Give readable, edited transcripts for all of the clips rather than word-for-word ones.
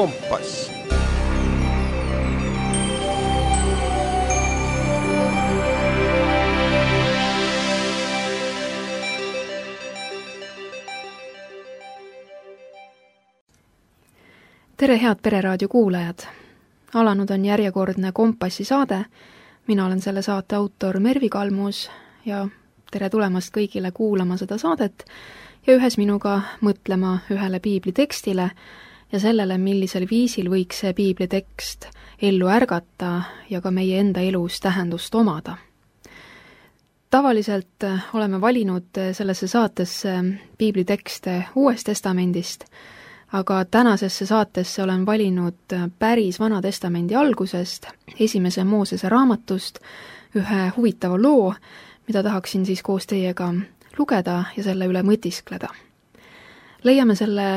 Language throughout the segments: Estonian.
Kompass. Tere, head Pereraadio kuulajad! Alanud on järjekordne Kompassi saade. Mina olen selle saate autor Mervi Kalmus ja tere tulemast kõigile kuulama seda saadet ja ühes minuga mõtlema ühele piiblitekstile ja sellele, millisel viisil võiks see piiblitekst ellu ärgata ja ka meie enda elus tähendust omada. Tavaliselt oleme valinud sellesse saatesse piiblitekste Uuest Testamendist, aga tänasesse saatesse olen valinud päris Vana Testamendi algusest, esimese Moosese raamatust, ühe huvitava loo, mida tahaksin siis koos teiega lugeda ja selle üle mõtiskleda. Leiame selle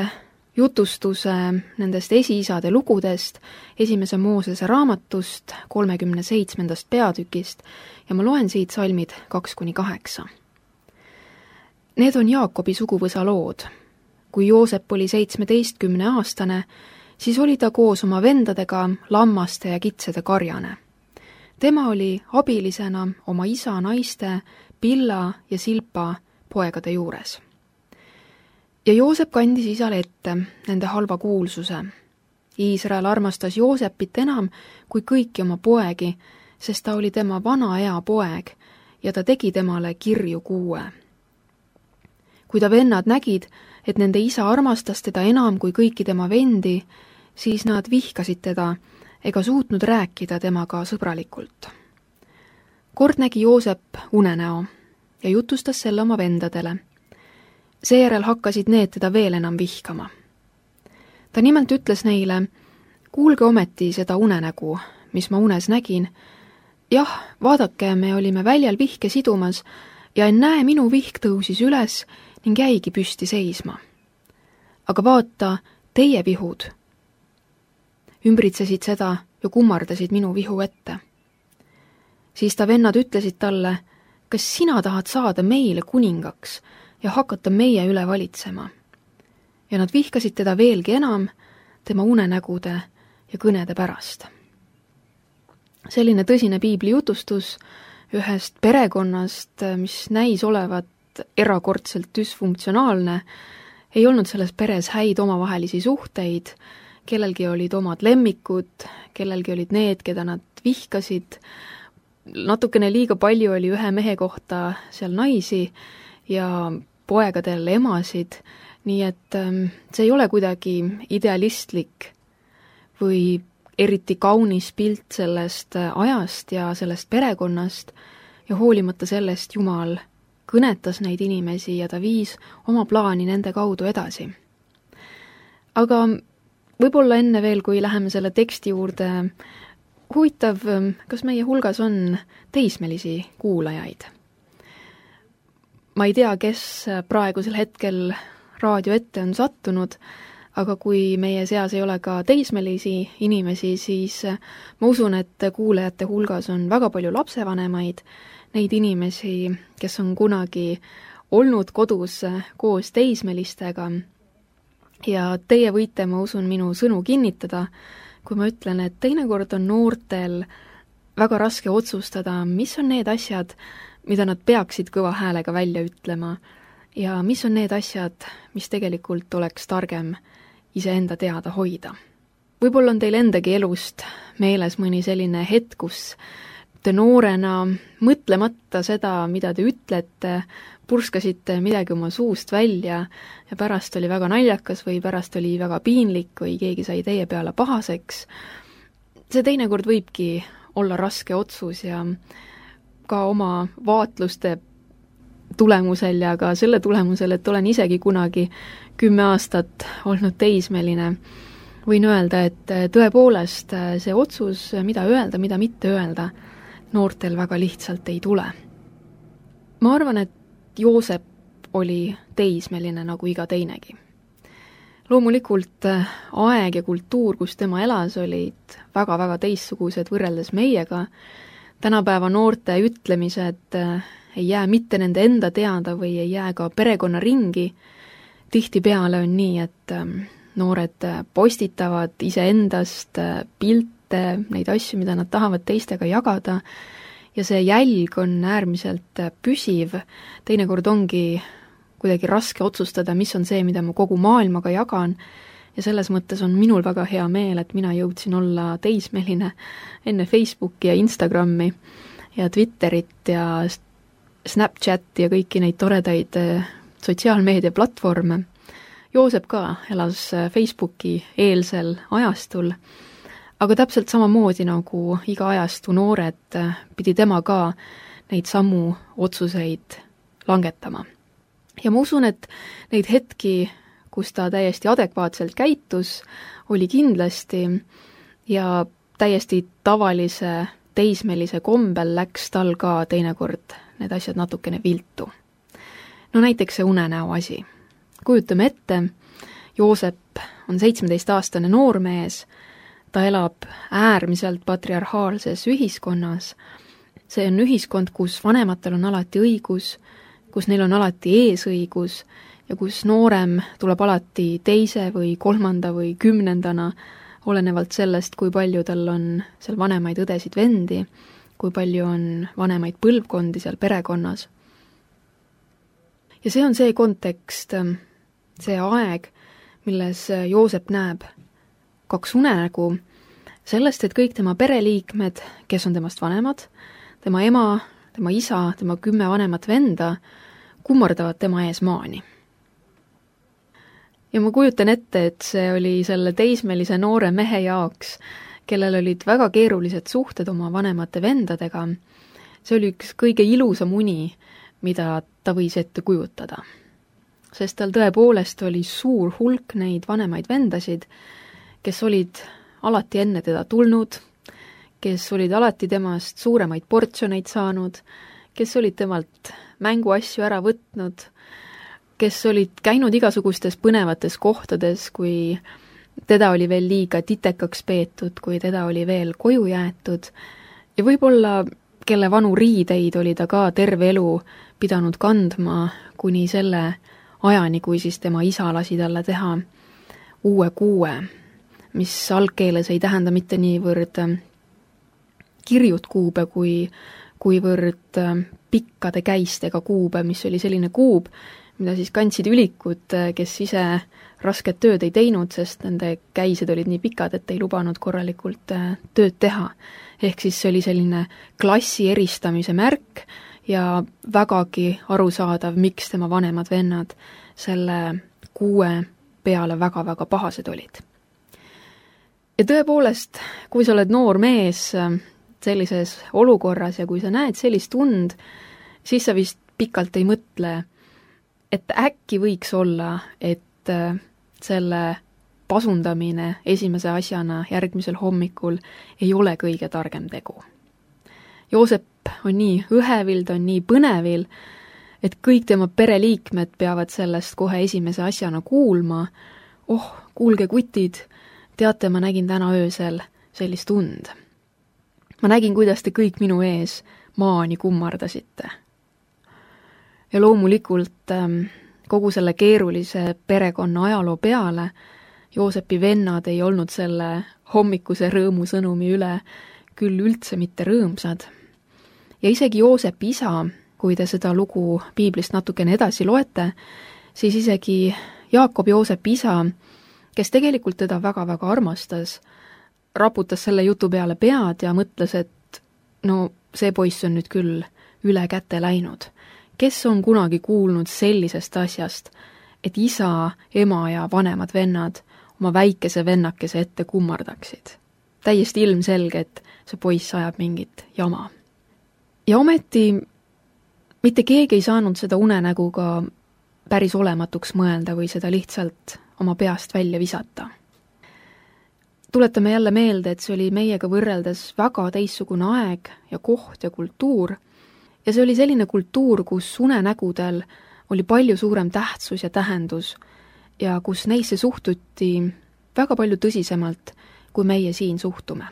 jutustuse nendest esiisade lugudest, esimese Moosese raamatust, 37. peatükist ja ma loen siit salmid 2-8. Need on Jaakobi suguvõsa lood. Kui Joosep oli 17-aastane, siis oli ta koos oma vendadega lammaste ja kitsede karjane. Tema oli abilisena oma isa naiste Pilla ja Silpa poegade juures. Ja Joosep kandis isale ette nende halva kuulsuse. Iisrael armastas Joosepit enam kui kõiki oma poegi, sest ta oli tema vana ea poeg ja ta tegi temale kirju kuue. Kui ta vennad nägid, et nende isa armastas teda enam kui kõiki tema vendi, siis nad vihkasid teda ega suutnud rääkida temaga sõbralikult. Kord nägi Joosep unenäo ja jutustas selle oma vendadele. Seejärel hakkasid need teda veel enam vihkama. Ta nimelt ütles neile, kuulge ometi seda unenägu, mis ma unes nägin. Jah, vaadake, me olime väljal vihke sidumas ja ennäe, minu vihk tõusis üles ning jäigi püsti seisma. Aga vaata, teie vihud ümbritsesid seda ja kummardasid minu vihu ette. Siis ta vennad ütlesid talle, kas sina tahad saada meile kuningaks ja hakata meie üle valitsema? Ja nad vihkasid teda veelgi enam tema unenägude ja kõnede pärast. Selline tõsine piibli jutustus ühest perekonnast, mis näis olevat erakordselt düsfunktsionaalne, ei olnud selles peres häid omavahelisi suhteid, kellelgi olid omad lemmikud, kellelgi olid need, keda nad vihkasid, natukene liiga palju oli ühe mehe kohta seal naisi ja poegadel emasid, nii et see ei ole kuidagi idealistlik või eriti kaunis pilt sellest ajast ja sellest perekonnast ja hoolimata sellest Jumal kõnetas neid inimesi ja ta viis oma plaani nende kaudu edasi. Aga võib-olla enne veel, kui läheme selle teksti juurde, huvitav, kas meie hulgas on teismelisi kuulajaid? Ma ei tea, kes praegusel hetkel raadio ette on sattunud, aga kui meie seas ei ole ka teismelisi inimesi, siis ma usun, et kuulajate hulgas on väga palju lapsevanemaid, neid inimesi, kes on kunagi olnud kodus koos teismelistega ja teie võite, ma usun, minu sõnu kinnitada, kui ma ütlen, et teinekord on noortel väga raske otsustada, mis on need asjad, mida nad peaksid kõva häälega välja ütlema ja mis on need asjad, mis tegelikult oleks targem iseenda teada hoida. Võib-olla on teil endagi elust meeles mõni selline hetk, kus te noorena, mõtlemata seda, mida te ütlete, purskasite midagi oma suust välja ja pärast oli väga naljakas või pärast oli väga piinlik või keegi sai teie peale pahaseks. See teinekord võibki olla raske otsus ja ka oma vaatluste tulemusel ja ka selle tulemusel, et olen isegi kunagi 10 aastat olnud teismeline, võin öelda, et tõepoolest see otsus, mida öelda, mida mitte öelda, noortel väga lihtsalt ei tule. Ma arvan, et Joosep oli teismeline nagu iga teinegi. Loomulikult aeg ja kultuur, kus tema elas, olid väga-väga teistsugused võrreldes meiega. Tänapäeva noorte ütlemised ei jää mitte nende enda teada või ei jää ka perekonnaringi. Tihtipeale on nii, et noored postitavad iseendast pilte, neid asju, mida nad tahavad teistega jagada, ja see jälg on äärmiselt püsiv, teinekord ongi kuidagi raske otsustada, mis on see, mida ma kogu maailmaga jagan, ja selles mõttes on minul väga hea meel, et mina jõudsin olla teismeline enne Facebooki ja Instagrami ja Twitterit ja Snapchati ja kõiki neid toredaid sotsiaalmeediaplatvorme. Joosep ka elas Facebooki eelsel ajastul, aga täpselt samamoodi nagu iga ajastu noored pidi tema ka neid samu otsuseid langetama. Ja ma usun, et neid hetki, kus ta täiesti adekvaatselt käitus, oli kindlasti ja täiesti tavalise teismelise kombel läks tal ka teinekord need asjad natukene viltu. No näiteks see unenäo asi. Kujutame ette, Joosep on 17-aastane noormees, ta elab äärmiselt patriarhaalses ühiskonnas. See on ühiskond, kus vanematel on alati õigus, kus neil on alati eesõigus ja kus noorem tuleb alati teise või kolmanda või 10. olenevalt sellest, kui palju tal on seal vanemaid õdesid vendi, kui palju on vanemaid põlvkondi seal perekonnas. Ja see on see kontekst, see aeg, milles Joosep näeb 2 unenägu sellest, et kõik tema pereliikmed, kes on temast vanemad, tema ema, tema isa, tema 10 vanemat venda, kummardavad tema ees maani. Ja ma kujutan ette, et see oli selle teismelise noore mehe jaoks, kellel olid väga keerulised suhted oma vanemate vendadega. See oli üks kõige ilusam uni, mida ta võis ette kujutada. Sest tal tõepoolest oli suur hulk neid vanemaid vendasid, kes olid alati enne teda tulnud, kes olid alati temast suuremaid portsjoneid saanud, kes olid temalt mänguasju ära võtnud, kes olid käinud igasugustes põnevates kohtades, kui teda oli veel liiga titekaks peetud, kui teda oli veel koju jäetud, ja võib-olla kelle vanu riideid oli ta ka terve elu pidanud kandma kuni selle ajani, kui siis tema isa lasi talle teha uue kuue, mis algkeeles ei tähenda mitte niivõrd kirjut kuube, kuivõrd pikkade käistega kuube, mis oli selline kuub, mida siis kandsid ülikud, kes ise rasket tööd ei teinud, sest nende käised olid nii pikad, et ei lubanud korralikult tööd teha. Ehk siis see oli selline klassi eristamise märk ja vägagi arusaadav, miks tema vanemad vennad selle kuue peale väga-väga pahased olid. Ja tõepoolest, kui sa oled noor mees sellises olukorras ja kui sa näed sellist und, siis sa vist pikalt ei mõtle, et äkki võiks olla, et selle pasundamine esimese asjana järgmisel hommikul ei ole kõige targem tegu. Joosep on nii õhevil, ta on nii põnevil, et kõik tema pereliikmed peavad sellest kohe esimese asjana kuulma. Oh, kuulge kutid, teate, ma nägin täna öösel sellist und. Ma nägin, kuidas te kõik minu ees maani kummardasite. Ja loomulikult kogu selle keerulise perekonna ajaloo peale Joosepi vennad ei olnud selle hommikuse rõõmusõnumi üle küll üldse mitte rõõmsad. Ja isegi Joosepi isa, kui te seda lugu piiblist natukene edasi loete, siis isegi Jaakob Joosepi isa, kes tegelikult teda väga-väga armastas, raputas selle jutu peale pead ja mõtles, et no see poiss on nüüd küll üle käte läinud. Kes on kunagi kuulnud sellisest asjast, et isa, ema ja vanemad vennad oma väikese vennakese ette kummardaksid? Täiesti ilmselge, et see poiss ajab mingit jama. Ja ometi mitte keegi ei saanud seda unenägu ka päris olematuks mõelda või seda lihtsalt oma peast välja visata. Tuletame jälle meelde, et see oli meiega võrreldes väga teistsugune aeg ja koht ja kultuur, ja see oli selline kultuur, kus unenägudel oli palju suurem tähtsus ja tähendus ja kus neisse suhtuti väga palju tõsisemalt, kui meie siin suhtume.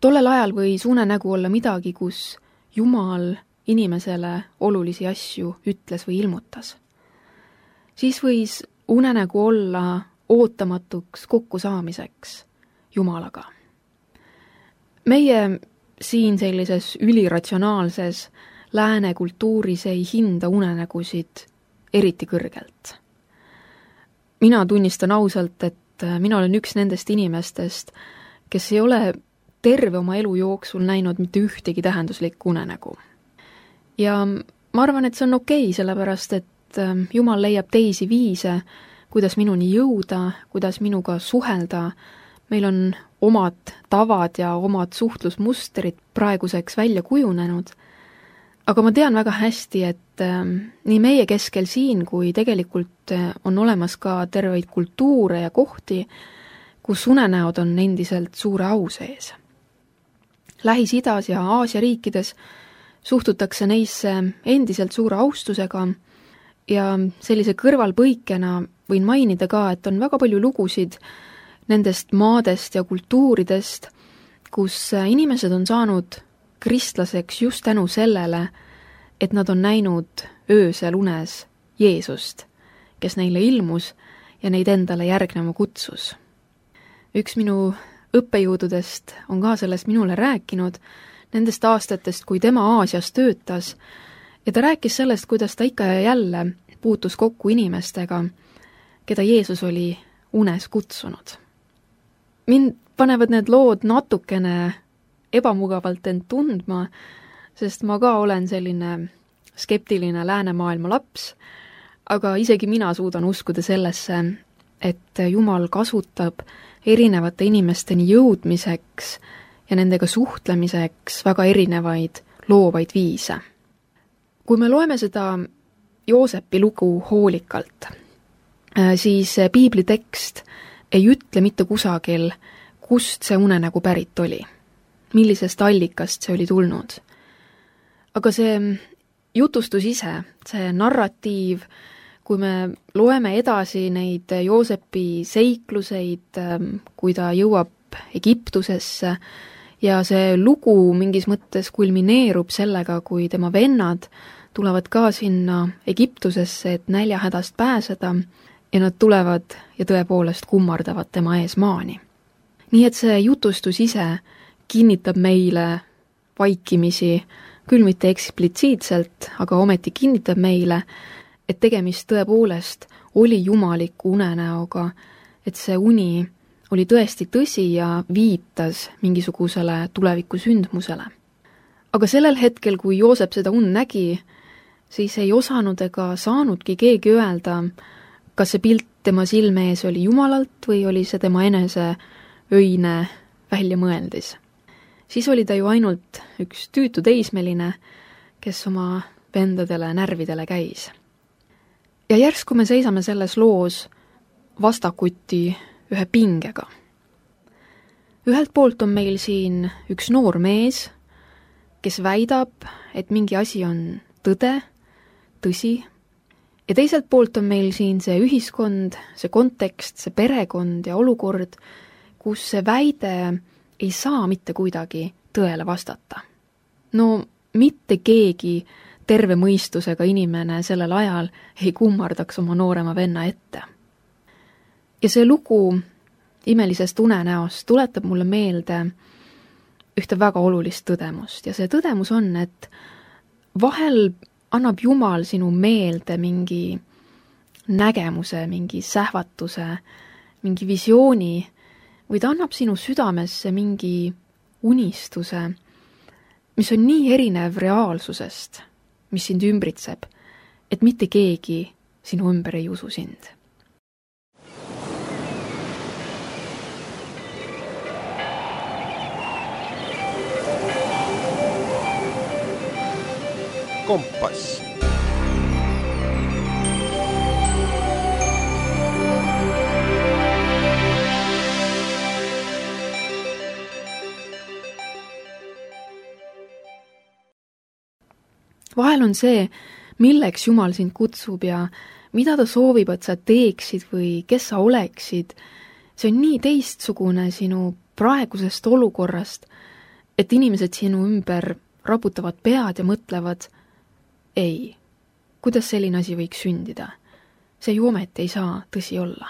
Tollel ajal võis unenägu olla midagi, kus Jumal inimesele olulisi asju ütles või ilmutas. Siis võis unenägu olla ootamatuks kokkusaamiseks Jumalaga. Meie siin sellises üliratsionaalses lääne kultuuris ei hinda unenägusid eriti kõrgelt. Mina tunnistan ausalt, et mina olen üks nendest inimestest, kes ei ole terve oma elu jooksul näinud mitte ühtegi tähenduslikku unenägu. Ja ma arvan, et see on okei, sellepärast et Jumal leiab teisi viise, kuidas minuni jõuda, kuidas minuga suhelda. Meil on omad tavad ja omad suhtlusmustrid praeguseks välja kujunenud. Aga ma tean väga hästi, et nii meie keskel siin, kui tegelikult on olemas ka terveid kultuure ja kohti, kus unenäod on endiselt suure au sees. Lähis-Idas ja Aasia riikides suhtutakse neisse endiselt suure austusega ja sellise kõrvalpõikena võin mainida ka, et on väga palju lugusid nendest maadest ja kultuuridest, kus inimesed on saanud kristlaseks just tänu sellele, et nad on näinud öösel unes Jeesust, kes neile ilmus ja neid endale järgnema kutsus. Üks minu õppejõududest on ka sellest minule rääkinud, nendest aastatest, kui tema Aasias töötas, ja ta rääkis sellest, kuidas ta ikka ja jälle puutus kokku inimestega, keda Jeesus oli unes kutsunud. Mind panevad need lood natukene ebamugavalt end tundma, sest ma ka olen selline skeptiline läänemaailma laps, aga isegi mina suudan uskuda sellesse, et Jumal kasutab erinevate inimesteni jõudmiseks ja nendega suhtlemiseks väga erinevaid loovaid viise. Kui me loeme seda Joosepi lugu hoolikalt, siis piibli tekst ei ütle mitte kusagil, kust see unenägu pärit oli, millisest allikast see oli tulnud. Aga see jutustus ise, see narratiiv, kui me loeme edasi neid Joosepi seikluseid, kui ta jõuab Egiptusesse ja see lugu mingis mõttes kulmineerub sellega, kui tema vennad tulevad ka sinna Egiptusesse, et näljahädast pääseda ja nad tulevad ja tõepoolest kummardavad tema ees maani. Nii et see jutustus ise kinnitab meile vaikimisi, küll mitte eksplitsiitselt, aga ometi kinnitab meile, et tegemist tõepoolest oli jumaliku unenäoga, et see uni oli tõesti tõsi ja viitas mingisugusele tuleviku sündmusele. Aga sellel hetkel, kui Joosep seda und nägi, siis ei osanud ega saanudki keegi öelda, kas see pilt tema silme ees oli Jumalalt või oli see tema enese öine väljamõeldis. Siis oli ta ju ainult üks tüütu teismeline, kes oma vendadele närvidele käis. Ja järsku me seisame selles loos vastakuti ühe pingega. Ühelt poolt on meil siin üks noor mees, kes väidab, et mingi asi on tõde, tõsi, ja teiselt poolt on meil siin see ühiskond, see kontekst, see perekond ja olukord, kus see väide ei saa mitte kuidagi tõele vastata. No mitte keegi terve mõistusega inimene sellel ajal ei kummardaks oma noorema venna ette. Ja see lugu imelisest unenäost tuletab mulle meelde ühte väga olulist tõdemust ja see tõdemus on, et vahel annab Jumal sinu meelde mingi nägemuse, mingi sähvatuse, mingi visiooni või ta annab sinu südamesse mingi unistuse, mis on nii erinev reaalsusest, mis sind ümbritseb, et mitte keegi sinu ümber ei usu sind. Kompass. Vahel on see, milleks Jumal sind kutsub ja mida ta soovib, et sa teeksid või kes sa oleksid, see on nii teistsugune sinu praegusest olukorrast, et inimesed sinu ümber raputavad pead ja mõtlevad, ei, kuidas selline asi võiks sündida? See ju ometi ei saa tõsi olla.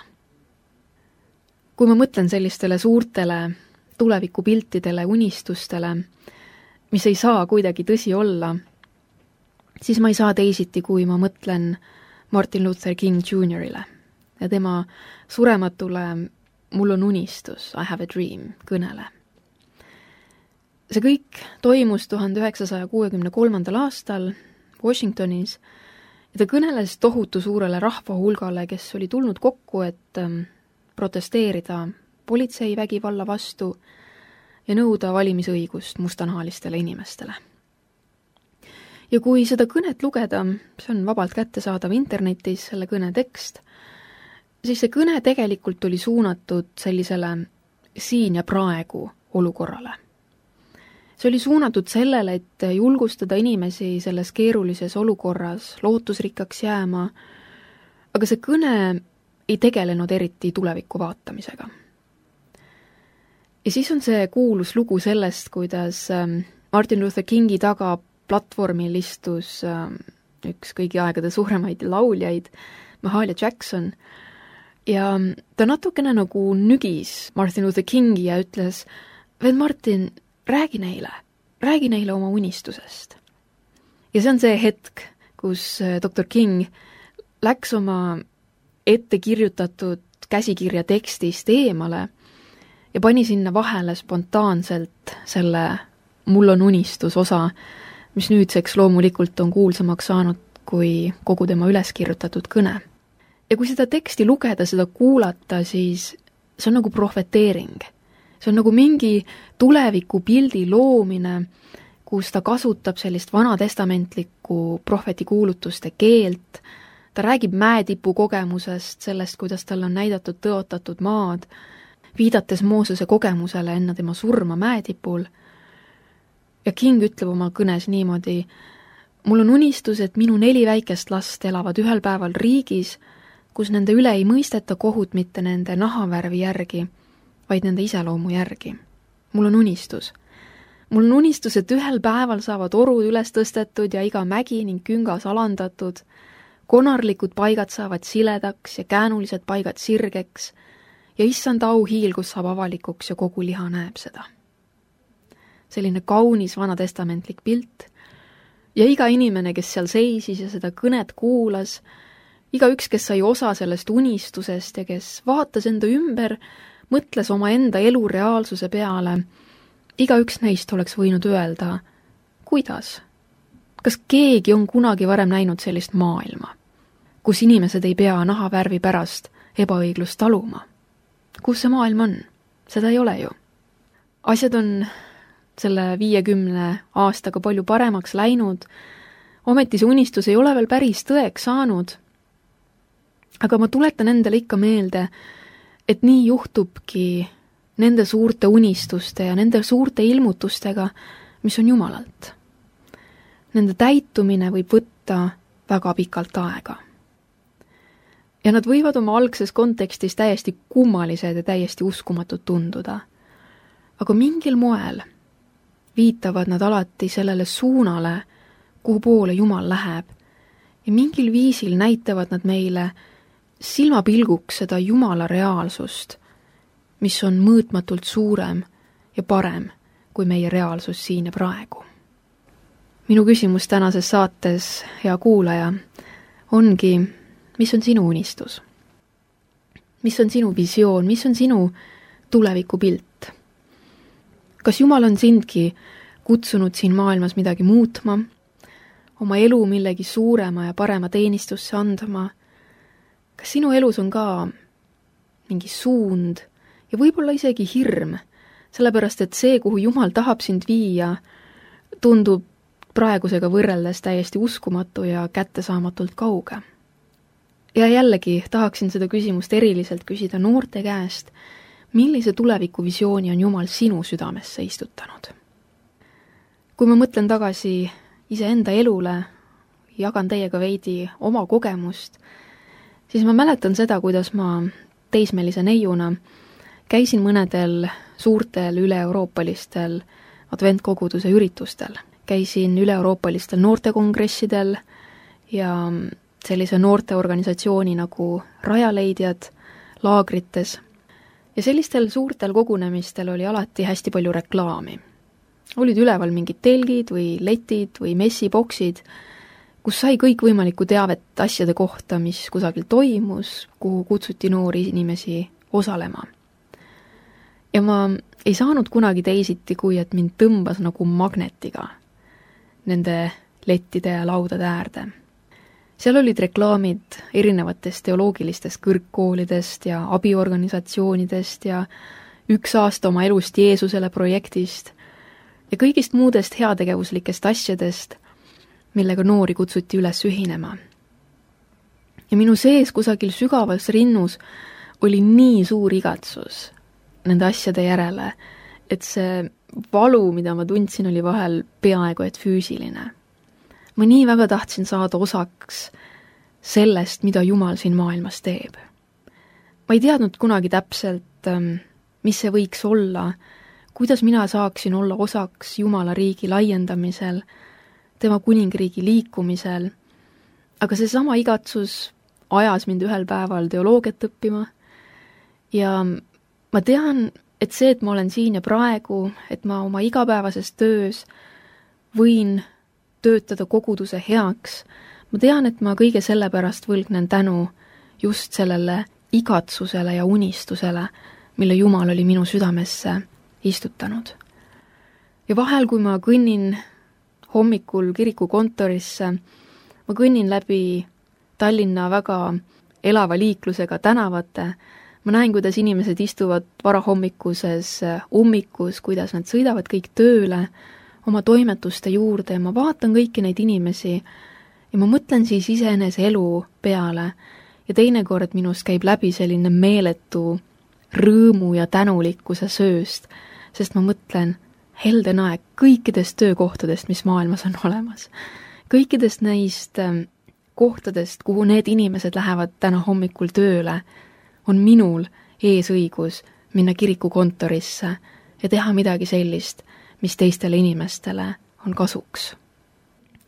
kui ma mõtlen sellistele suurtele tulevikupiltidele, unistustele, mis ei saa kuidagi tõsi olla, siis ma ei saa teisiti, kui ma mõtlen Martin Luther King Jr.-ile ja tema surematule "Mul on unistus, I have a dream" kõnele. See kõik toimus 1963. aastal Washingtonis ja ta kõneles tohutu suurele rahvahulgale, kes oli tulnud kokku, et protesteerida politseivägivalla vastu ja nõuda valimisõigust mustanahalistele inimestele. Ja kui seda kõnet lugeda, see on vabalt kättesaadav internetis, selle kõne tekst, siis see kõne tegelikult oli suunatud sellisele siin ja praegu olukorrale. See oli suunatud sellele, et julgustada inimesi selles keerulises olukorras lootusrikkaks jääma, aga see kõne ei tegelenud eriti tuleviku vaatamisega. Ja siis on see kuulus lugu sellest, kuidas Martin Luther Kingi taga platvormil istus üks kõigi aegade suuremaid lauljaid, Mahalia Jackson, ja ta natukene nagu nügis Martin Luther Kingi ja ütles, "Vend Martin, räägi neile oma unistusest." Ja see on see hetk, kus Dr. King läks oma ette kirjutatud käsikirja tekstist eemale ja pani sinna vahele spontaanselt selle "Mul on unistus" osa, mis nüüdseks loomulikult on kuulsamaks saanud kui kogu tema üles kirjutatud kõne. Ja kui seda teksti lugeda, seda kuulata, siis see on nagu prohveteering. See on nagu mingi tulevikupildi loomine, kus ta kasutab sellist vanatestamentlikku prohvetikuulutuste keelt, ta räägib mäetipu kogemusest, sellest, kuidas tal on näidatud tõotatud maad, viidates Moosese kogemusele enne tema surma mäetipul. Ja King ütleb oma kõnes niimoodi, "Mul on unistus, et minu 4 väikest last elavad ühel päeval riigis, kus nende üle ei mõisteta kohut mitte nende nahavärvi järgi, vaid nende iseloomu järgi. Mul on unistus. Mul on unistus, et ühel päeval saavad orud üles tõstetud ja iga mägi ning küngas alandatud, konarlikud paigad saavad siledaks ja käänulised paigad sirgeks ja issand auhiil, kus saab avalikuks ja kogu liha näeb seda." Selline kaunis vanatestamentlik pilt ja iga inimene, kes seal seisis ja seda kõnet kuulas, igaüks, kes sai osa sellest unistusest ja kes vaatas enda ümber, mõtles oma enda elu reaalsuse peale, igaüks neist oleks võinud öelda, kuidas? Kas keegi on kunagi varem näinud sellist maailma, kus inimesed ei pea nahavärvi pärast ebaõiglust taluma? Kus see maailm on? Seda ei ole ju. Asjad on selle 50 aastaga palju paremaks läinud, ometi see unistus ei ole veel päris tõeks saanud, aga ma tuletan endale ikka meelde, et nii juhtubki nende suurte unistuste ja nende suurte ilmutustega, mis on Jumalalt. Nende täitumine võib võtta väga pikalt aega. Ja nad võivad oma algses kontekstis täiesti kummalised ja täiesti uskumatud tunduda. Aga mingil moel viitavad nad alati sellele suunale, kuhu poole Jumal läheb, ja mingil viisil näitavad nad meile silmapilguks seda Jumala reaalsust, mis on mõõtmatult suurem ja parem kui meie reaalsus siin ja praegu. Minu küsimus tänases saates, hea kuulaja, ongi, mis on sinu unistus? Mis on sinu visioon, mis on sinu tulevikupilt? Kas Jumal on sindki kutsunud siin maailmas midagi muutma, oma elu millegi suurema ja parema teenistusse andma? Kas sinu elus on ka mingi suund ja võib-olla isegi hirm, sellepärast et see, kuhu Jumal tahab sind viia, tundub praegusega võrreldes täiesti uskumatu ja kättesaamatult kauge? Ja jällegi tahaksin seda küsimust eriliselt küsida noorte käest, millise tulevikuvisiooni on Jumal sinu südamesse istutanud? Kui ma mõtlen tagasi iseenda elule, jagan teiega veidi oma kogemust, siis ma mäletan seda, kuidas ma teismelise neiuna käisin mõnedel suurtel üle-euroopalistel adventkoguduse üritustel. Käisin üle-euroopalistel noortekongressidel ja sellise noorteorganisatsiooni nagu Rajaleidjad laagrites. Ja sellistel suurtel kogunemistel oli alati hästi palju reklaami. Olid üleval mingid telgid või letid või messiboksid, kus sai kõikvõimalikku teavet asjade kohta, mis kusagil toimus, kuhu kutsuti noori inimesi osalema. Ja ma ei saanud kunagi teisiti, kui et mind tõmbas nagu magnetiga nende lettide ja laudade äärde. Seal olid reklaamid erinevatest teoloogilistest kõrgkoolidest ja abiorganisatsioonidest ja 1 aasta oma elust Jeesusele projektist ja kõigist muudest heategevuslikest asjadest, millega noori kutsuti üles ühinema. Ja minu sees kusagil sügavas rinnus oli nii suur igatsus nende asjade järele, et see valu, mida ma tundsin, oli vahel peaaegu et füüsiline. Ma nii väga tahtsin saada osaks sellest, mida Jumal siin maailmas teeb. Ma ei teadnud kunagi täpselt, mis see võiks olla, kuidas mina saaksin olla osaks Jumala riigi laiendamisel, tema kuningriigi liikumisel, aga seesama igatsus ajas mind ühel päeval teoloogiat õppima ja ma tean, et see, et ma olen siin ja praegu, et ma oma igapäevases töös võin töötada koguduse heaks, ma tean, et ma kõige selle pärast võlgnen tänu just sellele igatsusele ja unistusele, mille Jumal oli minu südamesse istutanud. Ja vahel, kui ma kõnnin hommikul kiriku kontorisse, ma kõnnin läbi Tallinna väga elava liiklusega tänavate, ma näen, kuidas inimesed istuvad varahommikuses ummikus, kuidas nad sõidavad kõik tööle oma toimetuste juurde ja ma vaatan kõiki neid inimesi ja ma mõtlen siis iseenese elu peale ja teinekord minust käib läbi selline meeletu rõõmu ja tänulikkuse sööst, sest ma mõtlen, helden aeg kõikidest töökohtadest, mis maailmas on olemas. Kõikidest neist kohtadest, kuhu need inimesed lähevad täna hommikul tööle, on minul eesõigus minna kiriku kontorisse ja teha midagi sellist, mis teistele inimestele on kasuks.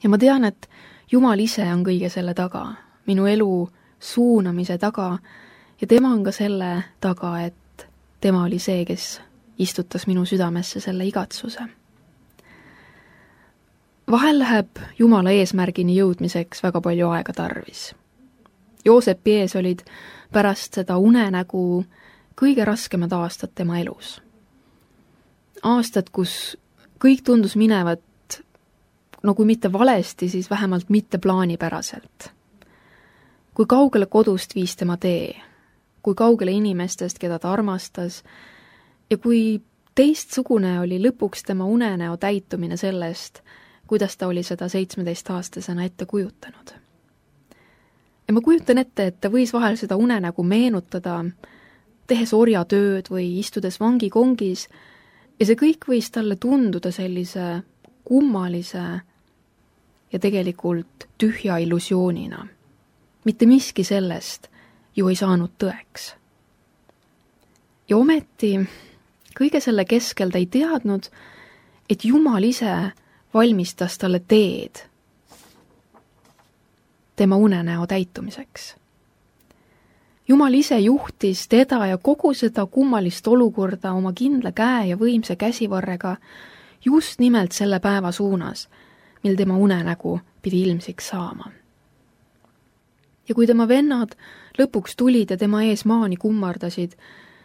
Ja ma tean, et Jumal ise on kõige selle taga, minu elu suunamise taga ja tema on ka selle taga, et tema oli see, kes istutas minu südamesse selle igatsuse. Vahel läheb Jumala eesmärgini jõudmiseks väga palju aega tarvis. Joosepi ees olid pärast seda unenägu kõige raskemad aastad tema elus. Aastad, kus kõik tundus minevat, no kui mitte valesti, siis vähemalt mitte plaanipäraselt. Kui kaugele kodust viis tema tee, kui kaugele inimestest, keda ta armastas, ja kui teistsugune oli lõpuks tema unenäo täitumine sellest, kuidas ta oli seda 17-aastasena ette kujutanud. Ja ma kujutan ette, et ta võis vahel seda unenägu meenutada, tehes orjatööd või istudes vangikongis, ja see kõik võis talle tunduda sellise kummalise ja tegelikult tühja illusioonina. Mitte miski sellest ju ei saanud tõeks. Ja ometi kõige selle keskel ta ei teadnud, et Jumal ise valmistas talle teed tema unenäo täitumiseks. Jumal ise juhtis teda ja kogu seda kummalist olukorda oma kindla käe ja võimsa käsivarrega just nimelt selle päeva suunas, mil tema unenägu pidi ilmsiks saama. Ja kui tema vennad lõpuks tulid ja tema ees maani kummardasid,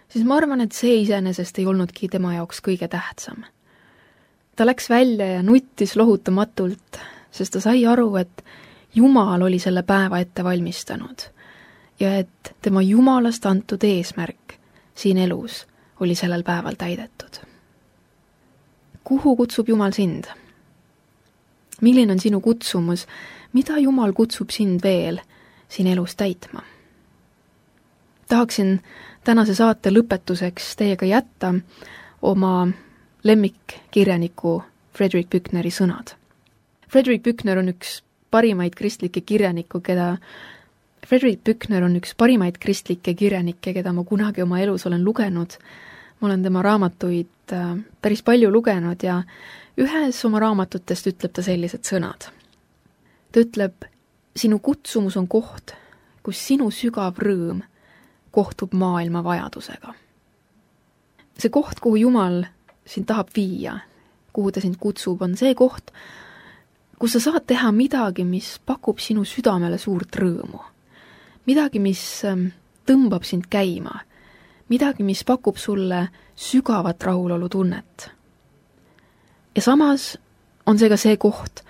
siis ma arvan, et see iseenesest ei olnudki tema jaoks kõige tähtsam. Ta läks välja ja nuttis lohutamatult, sest ta sai aru, et Jumal oli selle päeva ette valmistanud ja et tema Jumalast antud eesmärk siin elus oli sellel päeval täidetud. Kuhu kutsub Jumal sind? Milline on sinu kutsumus? Mida Jumal kutsub sind veel siin elus täitma? Tahaksin tänase saate lõpetuseks teiega jätta oma lemmikkirjaniku Frederick Büchneri sõnad. Frederick Büchner on üks parimaid kristlikke kirjanikke, keda ma kunagi oma elus olen lugenud. Ma olen tema raamatuid päris palju lugenud ja ühes oma raamatutest ütleb ta sellised sõnad. Ta ütleb, sinu kutsumus on koht, kus sinu sügav rõõm kohtub maailma vajadusega. see koht, kuhu Jumal sind tahab viia, kuhu ta sind kutsub, on see koht, kus sa saad teha midagi, mis pakub sinu südamele suurt rõõmu. Midagi, mis tõmbab sind käima. Midagi, mis pakub sulle sügavat rahulolu tunnet. Ja samas on see ka see koht,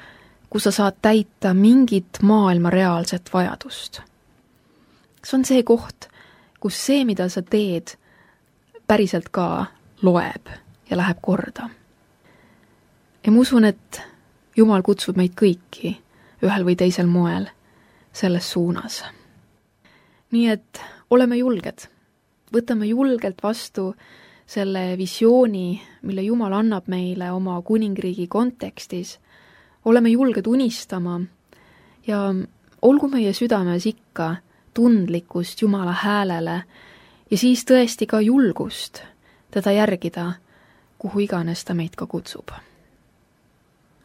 kus sa saad täita mingit maailma reaalset vajadust. See on see koht, kus see, mida sa teed, päriselt ka loeb ja läheb korda. Ja ma usun, et Jumal kutsub meid kõiki ühel või teisel moel selles suunas. Nii et oleme julged. Võtame julgelt vastu selle visiooni, mille Jumal annab meile oma kuningriigi kontekstis. Oleme julged unistama ja olgu meie südames ikka tundlikkust Jumala häälele ja siis tõesti ka julgust teda järgida, kuhu iganes ta meid ka kutsub.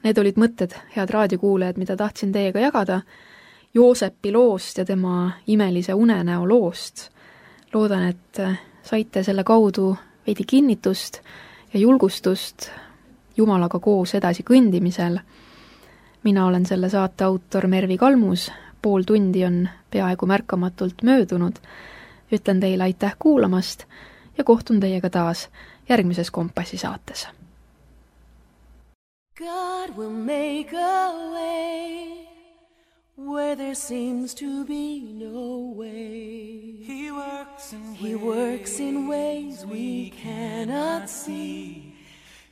Need olid mõtted, head raadiokuulajad, mida tahtsin teiega jagada Joosepi loost ja tema imelise unenäo loost. Loodan, et saite selle kaudu veidi kinnitust ja julgustust Jumalaga koos edasi kõndimisel. Mina olen selle saate autor Mervi Kalmus, pool tundi on peaaegu märkamatult möödunud. Ütlen teile aitäh kuulamast ja kohtun teiega taas järgmises Kompassi saates. God will make a way where there seems to be no way. He works in ways we cannot see.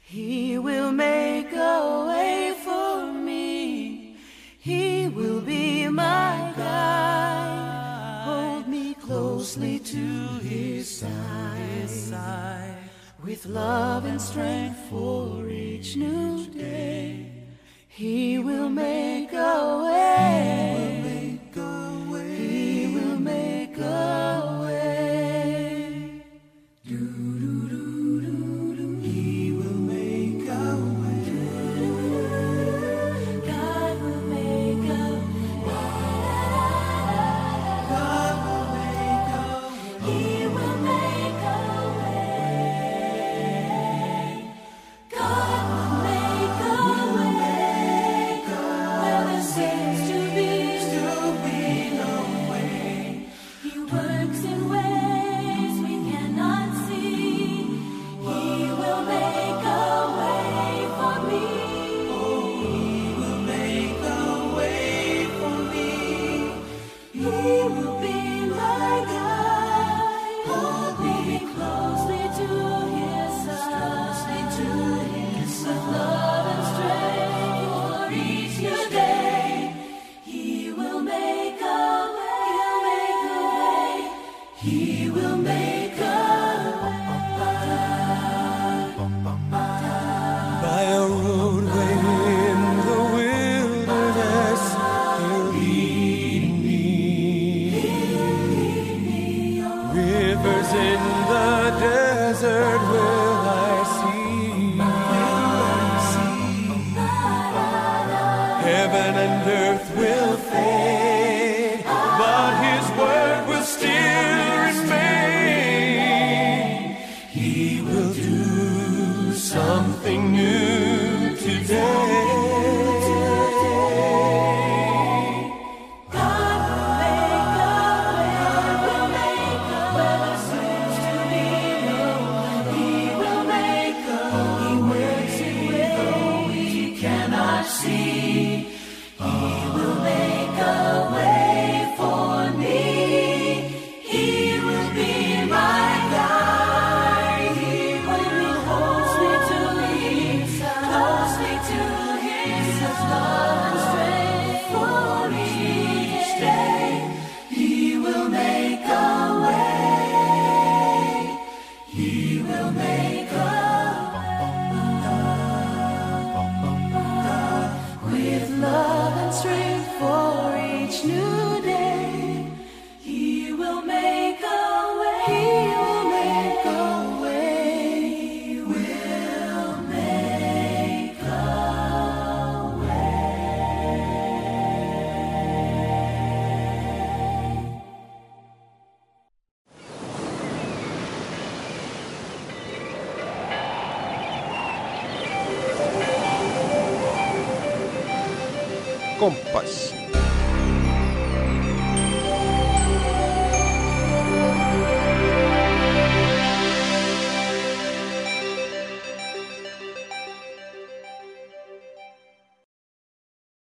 He will make a way for me. He will be my guide. Hold me closely to his side. With love and strength for each new day. He will make a way. He will make a way. He will make a way. God will make a way. God will make a way. He will make a way. God will make a way. Where there seems to be no way. He works in ways we cannot see. He will make a way for me. He will make a way for me. He will be my guide. Hold me closely to his side. With love and strength for each new day. He will make a way. He will make a way. By a roadway in the wilderness, he'll lead me. Rivers in the desert will I see. Heaven and earth will fade, but his word will still remain. He will do something new today. God will make a way, where there seems to be no way. He will make a way. He works in ways we cannot see. He will make a way for me. He will be my guide. He will hold me to his side. Closely to his love and strength for each day. He will make a way. He will make a way. With love and strength for each new day. He will make a way. He will make a way. He will make a way. Kompass